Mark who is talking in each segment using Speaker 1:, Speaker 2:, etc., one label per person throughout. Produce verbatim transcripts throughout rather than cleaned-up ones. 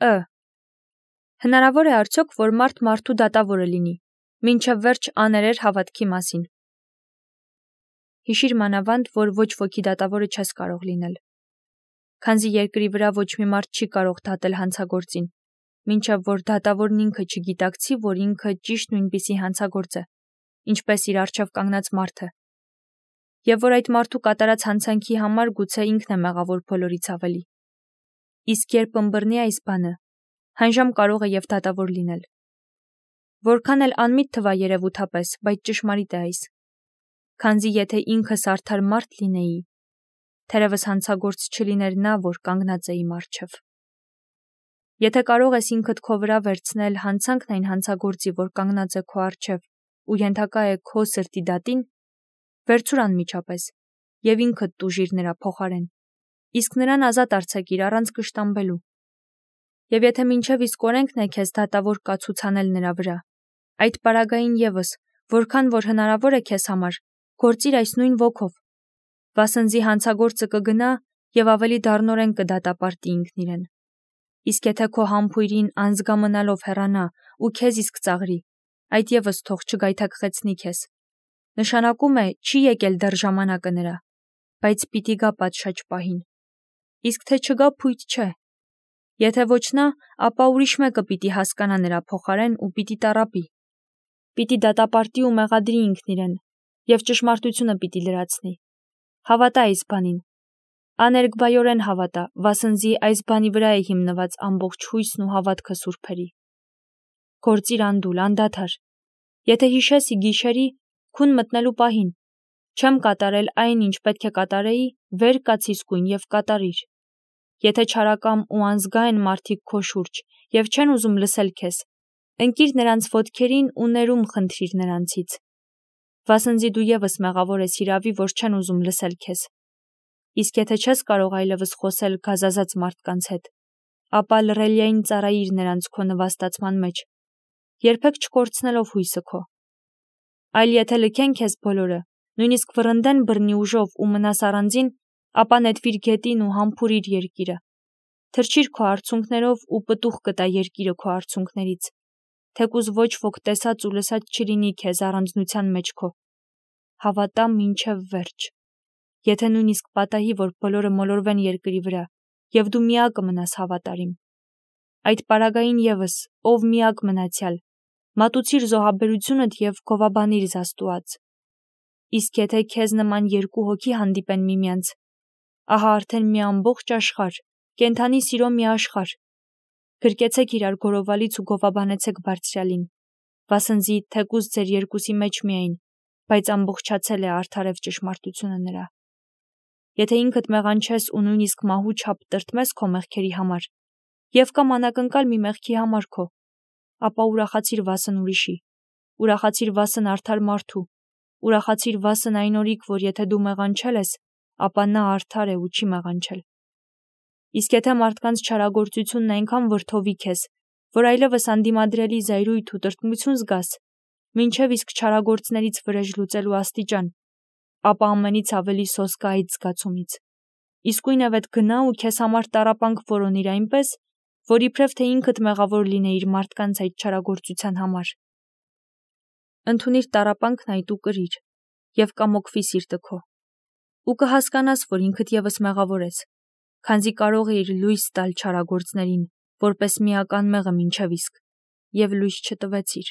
Speaker 1: Ը. Հնարավոր է արդյոք, որ մարդ մարդու դատավորը լինի, մինչև վերջ աներեր հավատքի մասին։ Հիշիր մանավանդ, որ ոչ ոքի դատավորը չես կարող լինել։ Քանզի երկրի վրա ոչ մի մարդ չի կարող դատել հանցագործին, մինչև որ դատավորն ինքը չգիտակցի, որ ինքը ճիշտ նույնպիսի հանցագործ է, ինչպես իր առջև կանգնած մարդը, եւ որ այդ մարդու կատարած հանցանքի համար գուցե ինքն է մեղավոր բոլորից ավելի։ Իսկ երբ ըմբռնի այս բանը, հանժամ կարող է եւ դատավոր լինել։ Որքան էլ անմիտ թվա երևութապես, բայց ճշմարիտ է այս։ Քանզի եթե ինքս արդար մարդ լինեի, թերևս հանցագործ չլիներ նա, որ կանգնած է իմ առջև։ Եթե կարող ես ինքդ քո վրա վերցնել հանցանքն այն հանցագործի, որ կանգնած է քո առջև ու ենթակա է քո սրտի դատին, վերցուր անմիջապես եւ ինքդ տուժիր նրա փոխարեն, իսկ նրան ազատ արձակիր առանց կշտամբելու։ Եվ եթե մինչև իսկ օրենքն է քեզ դատավոր կացուցանել նրա վրա, այդ պարագային եւս, որքան որ հնարավոր է քեզ համար, գործիր այս նույն ոգով, վասնզի հանցագործը կգնա եւ ավելի դառնորեն կդատապարտի ինքն իրեն։ Իսկ եթե քո համբույրին անզգամնալով հեռանա ու քեզ իսկ ծաղրի, այդ եւս թող չգայթակղեցնի քեզ։ Նշանակում է չի եկել դեռ ժամանակը նրա, բայց պիտի գա պատշաճ պահին։ Իսկ թե չգա փույթ չէ։ Եթե ոչ նա, ապա ուրիշ մեկը պիտի հասկանա նրա փոխարեն ու պիտի տառապի։ Պիտի դատապարտի ու մեղադրի ինքն իրեն եւ ճշմարտությունը պիտի լրացնի։ Հավատա այս բանին։ Աներկբայորեն հավատա, վասնզի այս բանի վրա է հիմնված ամբողջ հույսն ու հավատքը սուրբերի։ Գործիր անդուլ, անդադար։ Եթե հիշեսի գիշերի, քուն մտնելու պահին, չեմ կատարել այն, ինչ պետք է կատարեի, վեր կաց իսկույն եւ կատարիր։ Եթե չարակամ ու անզգա են մարդիկ քո շուրջ եւ չեն ուզում լսել քեզ, ընկիր նրանց ոտքերին ու ներում խնդրիր նրանցից։ Վասնզի դու եւս մեղավոր ես հիրավի, որ չեն ուզում լսել քեզ։ Իսկ եթե չես կարող այլևս խոսել գազազած մարդկանց հետ, ապա լռելիային ծառայիր նրանց քո նվաստացման մեջ, երբեք չկորցնելով հույսը քո։ Այլ եթե լքեն քեզ բոլորը, նույնիսկ վռնդեն բռնի ուժով ու մնաս առանձին, ապա նետվիր գետին ու համբուրիր երկիրը։ Թրջիր քո արցունքներով ու պտուղ կտա երկիրը քո արցունքներից, թեկուզ ոչ ոք տեսած ու լսած չլինի քեզ առանձնության մեջ քո։ Հավատա մինչև վերջ։ Եթե նույնիսկ պատահի, որ բոլորը մոլորվեն երկրի վրա, եւ դու միակը մնաս հավատարիմ։ Այդ պարագային եւս, ով միակ մնացյալ, մատուցիր զոհաբերությունդ եւ գովաբանիր Աստուած։ Իսկ եթե քեզ նման երկու հոգի հանդիպեն միմյանց, ահա արդեն մի ամբողջ աշխարհ, կենթանի սիրո մի աշխարհ։ Գրկեցեք իրար գորովալից ու գովաբանեցեք Բարձրյալին, վասնզի թեկուզ ձեր երկուսի մեջ միայն, բայց ամբողջացել է արդարև ճշմարտությունը նրա։ Եթե ինքդ մեղանչես ու նույնիսկ մահու չափ տրտմես քո մեղքերի համար, եւ կամ անակնկալ մի մեղքի համար քո, ապա ուրախացիր վասն ուրիշի, ուրախացիր վասն արդար մարդու, ուրախացիր վասն այն օրիք, որ եթե դու մեղանչել ես, ապա նա արդար է ու չի մեղանչել։ Իսկ եթե մարդկանց չարագործությունն այնքան վրդովի քեզ, որ այլևս անդիմադրելի զայրույթ ու տրտմություն զգաս, մինչև իսկ չարագործներից վրեժ լուծելու աստիճան, ապա ամենից ավելի սոսկա այդ զգացումից։ Իսկույնևեթ գնա ու քեզ համար տառապանք որոնիր այնպես, որ իբրև թե ինքդ մեղավոր լինեիր մարդկանց այդ չարագործության համար։ Ընդունիր տառապանքն այդ ու կրիր, եւ կամոքվի սիրտը քո։ Ու կհասկանաս, որ ինքդ եւս մեղավոր ես, քանզի կարող էիր լույս տալ չարագործներին, որպես միական մեղը մինչև իսկ, եւ լույս չտվեցիր։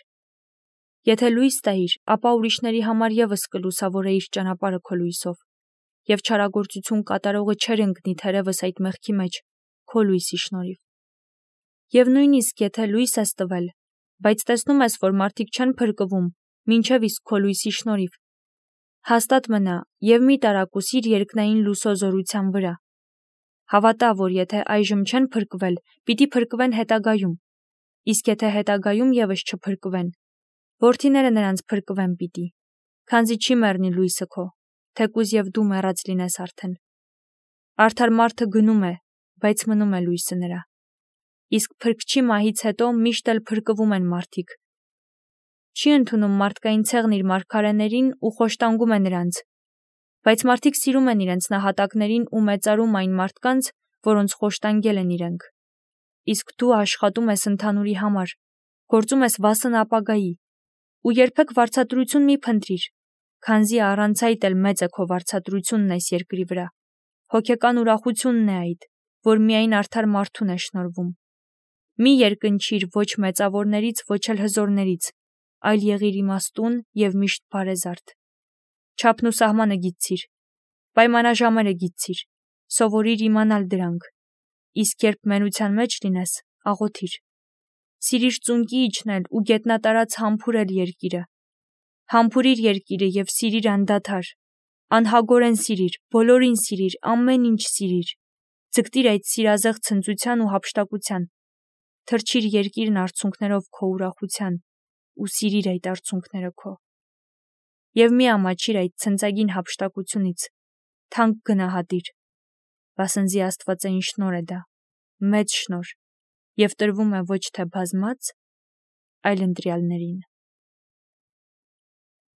Speaker 1: Եթե լույս տայիր, ապա ուրիշների համար եւս կլուսավորեիր ճանապարհը քո լույսով, եւ չարագործություն կատարողը չէր ընկնի թերևս այդ մեղքի մեջ, քո լույսի շնորհիվ։ Եվ նույնիսկ եթե լույս ես տվել, բայց տեսնում ես, որ մարդիկ չեն փրկվում, մինչև իսկ քո լույսի շնորհիվ, հաստատ մնա եւ մի տարակուսիր երկնային լուսո զորության վրա։ Հավատա, որ եթե այժմ չեն փրկվել, պիտի փրկվեն հետագայում, իսկ եթե հետագայում եւս չփրկվեն, որդիները նրանց փրկվեն պիտի, քանզի չի մեռնի լույսը քո, թեկուզ եւ դու մեռած լինես արդեն։ Արդար մարդը գնում է, բայց մնում է լույսը նրա։ Իսկ փրկչի մահից հետո միշտ էլ փրկվում են մարդիկ։ Չի ընդունում մարդկային ցեղն իր մարգարեներին ու խոշտանգում է նրանց, բայց մարդիկ սիրում են իրենց նահատակներին ու մեծարում այն մարդկանց, որոնց խոշտանգել են իրենք։ Իսկ դու աշխատում ես ընդհանուրի համար, գործում ես վասն ապագայի, ու երբեք վարձատրություն մի փնտրիր, քանզի առանց այդ էլ մեծ է քո վարձատրությունն այս երկրի վրա, հոգեկան ուրախությունն է այդ, որ միայն արդար մարդուն է շնորհվում։ Մի երկնչիր ոչ մեծավորներից, ոչ էլ հզորներից, այլ եղիր իմաստուն և միշտ բարեզարդ։ Չափն ու սահմանը գիտցիր, պայմանաժամերը գիտցիր, սովորիր իմանալ դրանք, իսկ երբ մենության մեջ լինես, աղոթիր։ Սիրիր ծունկի իջնել ու գետնատարած համբուրել երկիրը։ Համբուրիր երկիրը և սիրիր անդադար, անհագորեն սիրիր, բոլորին սիրիր, ամեն ինչ սիրիր, ձգտիր այդ սիրազեղ ցնծության ու հափշտակության, թրջիր երկիրն արցունքներով քո ուրախության ու սիրիր այդ արցունքները քո։ Եվ մի ամաչիր այդ ցնծագին հափշտակությունից, թանկ գնահատիր, վասնզի աստվածային շնորհ է դա, մեծ շնորհ, և տրվում է ոչ թե բազմած, այլ ընտրյալներին։